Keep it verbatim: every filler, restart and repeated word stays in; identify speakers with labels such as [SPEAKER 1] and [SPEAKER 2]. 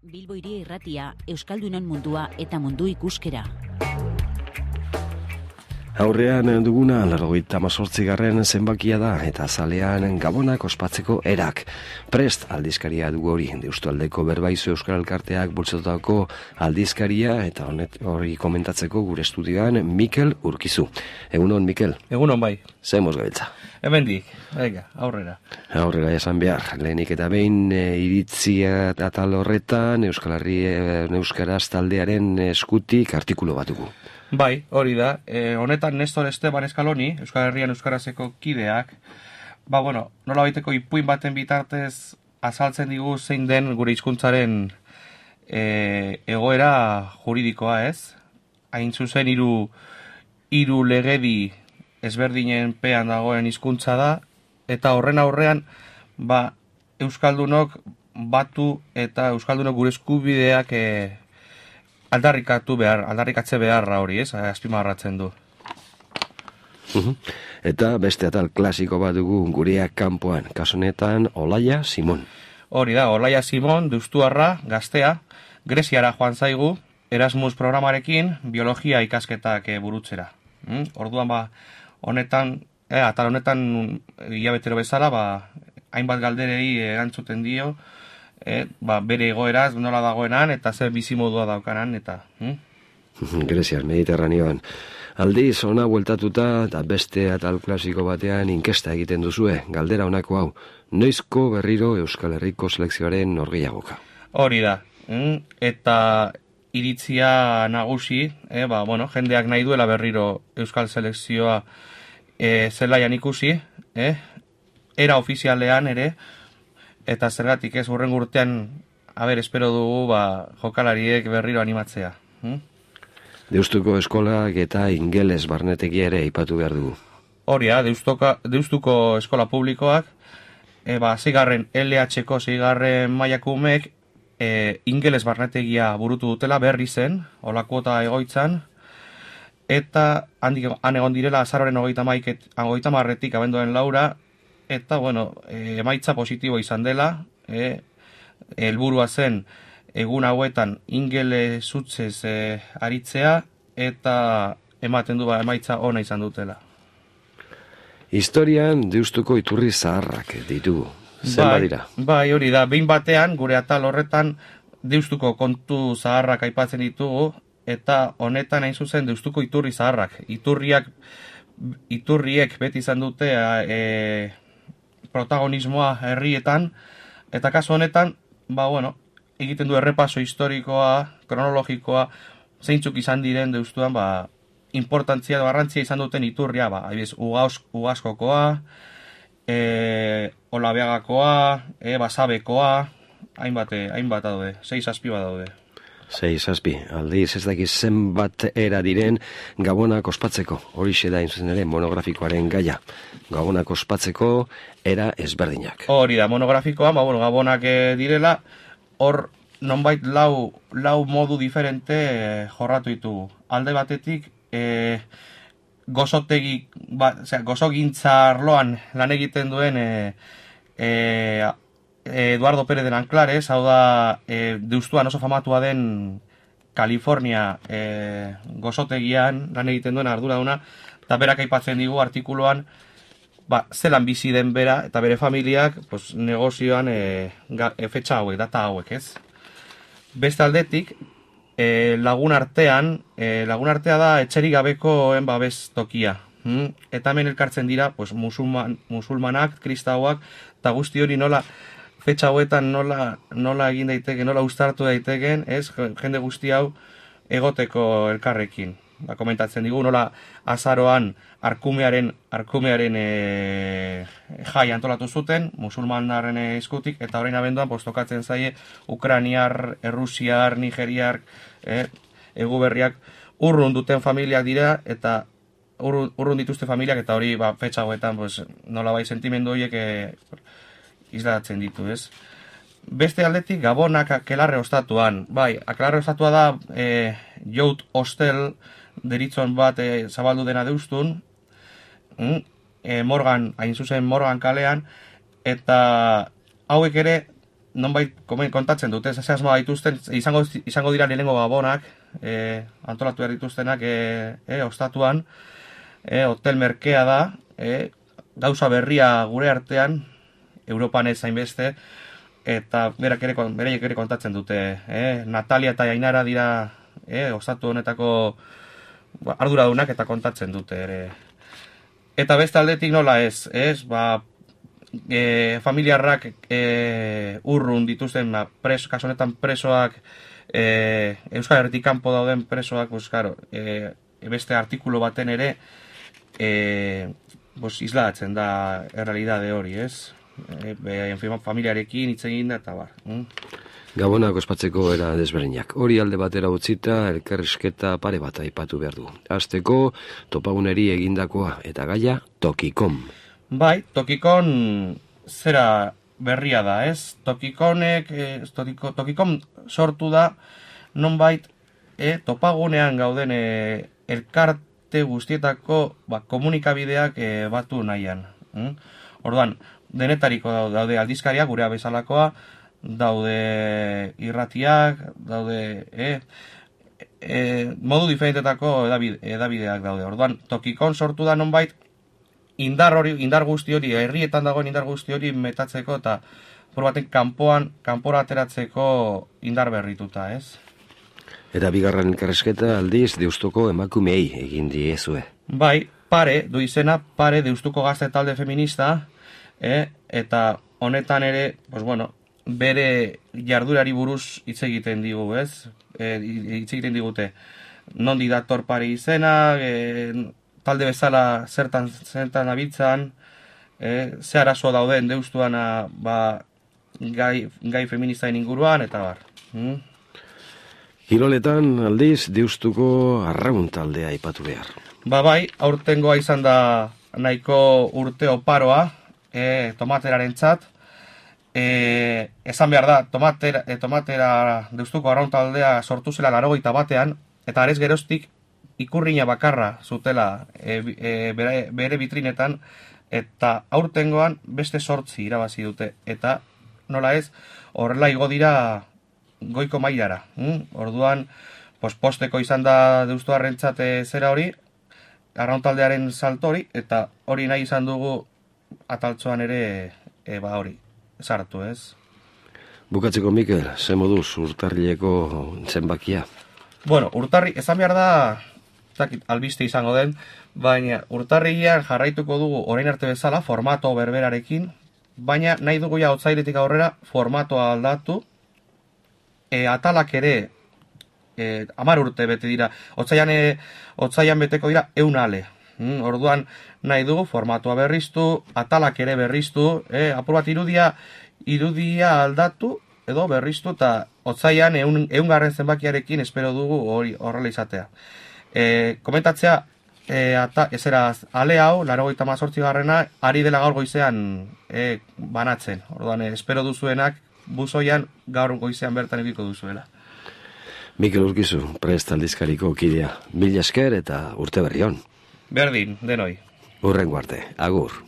[SPEAKER 1] Bilbo Hiria Irratia, Euskaldunon mundua eta mundu ikuskera.
[SPEAKER 2] Aurrean duguna laurogeita hemezortzigarren zenbakia da eta zalean Gabonak ospatzeko erak. Prest aldizkaria dugu hori, Deustualdeko Berbaizu Euskal Elkarteak bultzatutako aldizkaria eta honet hori komentatzeko gure estudioan Mikel Urkizu. Egunon, Mikel?
[SPEAKER 3] Egunon bai.
[SPEAKER 2] Zemoz gabiltza?
[SPEAKER 3] Hemendik, venga, aurrera.
[SPEAKER 2] Aurrera esan behar, lehenik eta behin e, iritzia atal horretan Euskal Herri e, Euskaraz taldearen eskutik artikulu bat dugu.
[SPEAKER 3] Bai, hori da. E, honetan Nestor Esteban Eskaloni, Euskal Herrian Euskarazeko kideak, ba, bueno, nola baiteko ipuin baten bitartez azaltzen digu zein den gure hizkuntzaren e, egoera juridikoa, ez? Hain zuzen hiru hiru legedi ezberdinen pean dagoen hizkuntza da, eta horren aurrean, ba, Euskaldunok batu eta Euskaldunok gure eskubideak e, aldarrikatu behar, aldarrikatze beharra hori, ez? Azpimarratzen du.
[SPEAKER 2] Eta beste atal klasiko bat dugu gureak kanpoan, kasunetan Olaia Simon.
[SPEAKER 3] Hori da, Olaia Simon, deustuarra, gaztea, Greziara joan zaigu, Erasmus programarekin, biologia ikasketak burutzera. Mm? Orduan, ba, honetan, eh, atal honetan, hilabetero bezala, ba, hainbat galderei erantzuten dio, Eh, ba, bere egoeraz nola dagoenan eta zer bizimodua daukanan eta hm?
[SPEAKER 2] Greziar, Mediterraneoan. Aldiz, ona bueltatuta eta beste atal klasiko batean inkesta egiten duzue, galdera honako hau. Noizko berriro Euskal Herriko selekzioaren norgehiagoka?
[SPEAKER 3] Hori da. Hm? Eta iritzia nagusi, eh, ba, bueno, jendeak nahi duela berriro Euskal selekzioa eh, zelaian ikusi, eh? Era ofizialean ere. Eta zergatik ez hurren urtean, haber, espero dugu, ba, jokalariek berriro animatzea. Hm?
[SPEAKER 2] Deustuko eskolak eta ingeles barnetegia ere aipatu behar dugu.
[SPEAKER 3] Hori da, Deustuko eskola publikoak, e, ba, zigarren L H-ko zigarren mailakumek, e, ingeles barnetegia burutu dutela berri zen, olakuota egoitzan, eta handik, han egon direla azaroren hogeita maiket, hogeita marretik abenduaren laura, eta, bueno, e, emaitza positibo izan dela, e, helburua zen egun hauetan ingele zutzez e, aritzea, eta ematen du ba, emaitza ona izan dutela.
[SPEAKER 2] Historian Deustuko iturri zaharrak ditugu. Zen badira?
[SPEAKER 3] Bai, hori da, behin batean, gure atal horretan, Deustuko kontu zaharrak aipatzen ditugu, eta honetan hain zuzen Deustuko iturri zaharrak. Iturriak, iturriek beti izan dute, e, protagonismoa herrietan, eta kasu honetan, ba, bueno, egiten du errepaso historikoa, kronologikoa, zeintzuk izan diren Deustuan, ba, importantzia, garrantzia izan duten iturria, ba, ahibiz, Ugaskokoa, e, Olabeagakoa, e, Basabekoa, hainbat, hainbat daude, sei zazpi bat daude.
[SPEAKER 2] Sei zazpi, aldiz ez dakiz zenbat era diren Gabonak ospatzeko, horixe da zuzen ere monografikoaren gaia. Gabonak ospatzeko era ezberdinak.
[SPEAKER 3] Hori da, monografikoa, ba, bueno, Gabonak e, direla, hor nonbait lau, lau modu diferente e, jorratu ditugu. Alde batetik, e, gozotegi, ba, osea, gozogintza arloan lan egiten duen e, e, Eduardo Pérez de Nanclares, hau da, e, Deustuan oso famatua den California e, gozotegian lan egiten duen arduraduna, eta berak aipatzen digu artikuluan, ba, zelan bizi den bera eta bere familiak pues, negozioan e, ga, e, fetxa hauek, data hauek, ez? Beste aldetik, e, lagun artean, e, lagun artea da etxerik gabekoen babes tokia. Hmm? Eta hemen elkartzen dira pues, musulman, musulmanak, kristauak, eta guzti hori nola fetxa hauetan nola, nola egin daiteke, nola uztartu daiteken, ez, jende guzti hau egoteko elkarrekin. Ba, komentatzen digu, nola azaroan arkumearen, arkumearen e, jai antolatu zuten, musulmanaren eskutik, eta orain abenduan postokatzen zaie Ukrainiar, Errusiar, Nigeriar, e, eguberriak urrun duten familiak dira, eta urrun, urrun dituzte familiak, eta hori ba, fetxa hauetan pues, nola bai sentimendu horiek e, islatzen ditu, ez? Beste aldetik, Gabonak Akelarre ostatuan. Bai, Akelarre ostatua da e, Jout Hostel deritzon bat e, zabaldu dena Deustun, mm? e, Morgan, hain zuzen Morgan kalean, eta hauek ere nonbait kontatzen dute, ze asmoa dituzten, izango, izango dira lehenengo gabonak, e, antolatu behar dituztenak e, e, ostatuan, e, hotel merkea da, e, gauza berria gure artean, Europan ez zainbeste, eta berak ere, bereiek ere kontatzen dute. E, Natalia eta Ainara dira e, ostatu honetako arduradunak eta kontatzen dute ere. Eta beste aldetik nola ez, ez, ba, e, familiarrak e, urrun dituzten, ba, preso, kaso honetan presoak, e, Euskal Herritik kanpo dauden presoak, pues, claro, e, beste artikulu baten ere, e, pues, islatzen da errealidade hori, ez? E, be, familiarekin hitz egin da eta bar. Mm?
[SPEAKER 2] Gabonak ospatzeko era desberdinak. Hori alde batera utzita, elkarrizketa pare bat aipatu behar du. Hasteko topaguneri egindakoa eta gaia Tokikom.
[SPEAKER 3] Bai, Tokikon zera berria da, ez? Tokikonek, eh, tokiko, Tokikom sortu da, nonbait, eh, topagunean gauden eh, elkarte guztietako ba, komunikabideak eh, batu nahian. Mm? Orduan, denetariko daude aldizkariak, gurea bezalakoa, daude irratiak, daude eh, eh, modu diferentetako edabide, edabideak daude. Orduan, Tokikon sortu da nonbait indar hori, indar guzti hori, herrietan dagoen indar guzti hori metatzeko eta por baten kanpoan, kanpora ateratzeko indar berrituta, ez?
[SPEAKER 2] Eta bigarren elkarrizketa aldiz Deustuko emakumeei egin diezue.
[SPEAKER 3] Bai, pare, du izena, pare Deustuko gazte talde feminista, eh, eta honetan ere, pues bueno, bere jardurari buruz hitz egiten digu, ez? E, hitz egiten digute. Nondi dator pare izena, e, talde bezala zertan zertan abitzan, e, ze arazo dauden Deustuan ba, gai, gai feministaen inguruan, eta bar. Hmm?
[SPEAKER 2] Kiroletan aldiz Deustuko arraun taldea aipatu behar.
[SPEAKER 3] Ba bai, aurtengoa izan da nahiko urte oparoa, e, tomateraren txat, E, esan behar da, tomatera, e, tomatera Deustuko arraun taldea sortu zela laurogeita batean, eta arez geroztik ikurrina bakarra zutela e, e, bere, bere bitrinetan, eta aurtengoan beste sortzi irabazi dute, eta nola ez, horrela igo dira goiko mailara. Hm? Orduan, pos, posteko izan da Deustuarrentzat zera hori, arraun taldearen salto hori, eta hori nahi izan dugu ataltzoan ere e, ba hori. Sartu, ez?
[SPEAKER 2] Bukatzeko, Mikel, ze moduz urtarrileko zenbakia?
[SPEAKER 3] Bueno, urtarri, esan behar da, zakit, albiste izango den, baina urtarrilean jarraituko dugu orain arte bezala, formato berberarekin, baina nahi dugu ja otsailetik aurrera formatoa aldatu, e, atalak ere, e, amar urte bete dira, otsailan, e, otsailan beteko dira eun ale. Mm, orduan nahi dugu formatoa berriztu, atalak ere berriztu, eh, apur bat irudia, irudia aldatu edo berriztu eta otsaian eun, eungarren zenbakiarekin espero dugu hori horrela izatea. E, komentatzea, e, ata, ezera, ale hau, laurogeita hemezortzi garrena, ari dela gaur goizean e, banatzen. Orduan, e, espero duzuenak buzoian gaur goizean bertan ediko duzuela.
[SPEAKER 2] Mikel Urkizu, Prest aldizkariko kidea. Mila esker eta urte berri on.
[SPEAKER 3] Berdin, denoi.
[SPEAKER 2] Hurrengo arte, agur.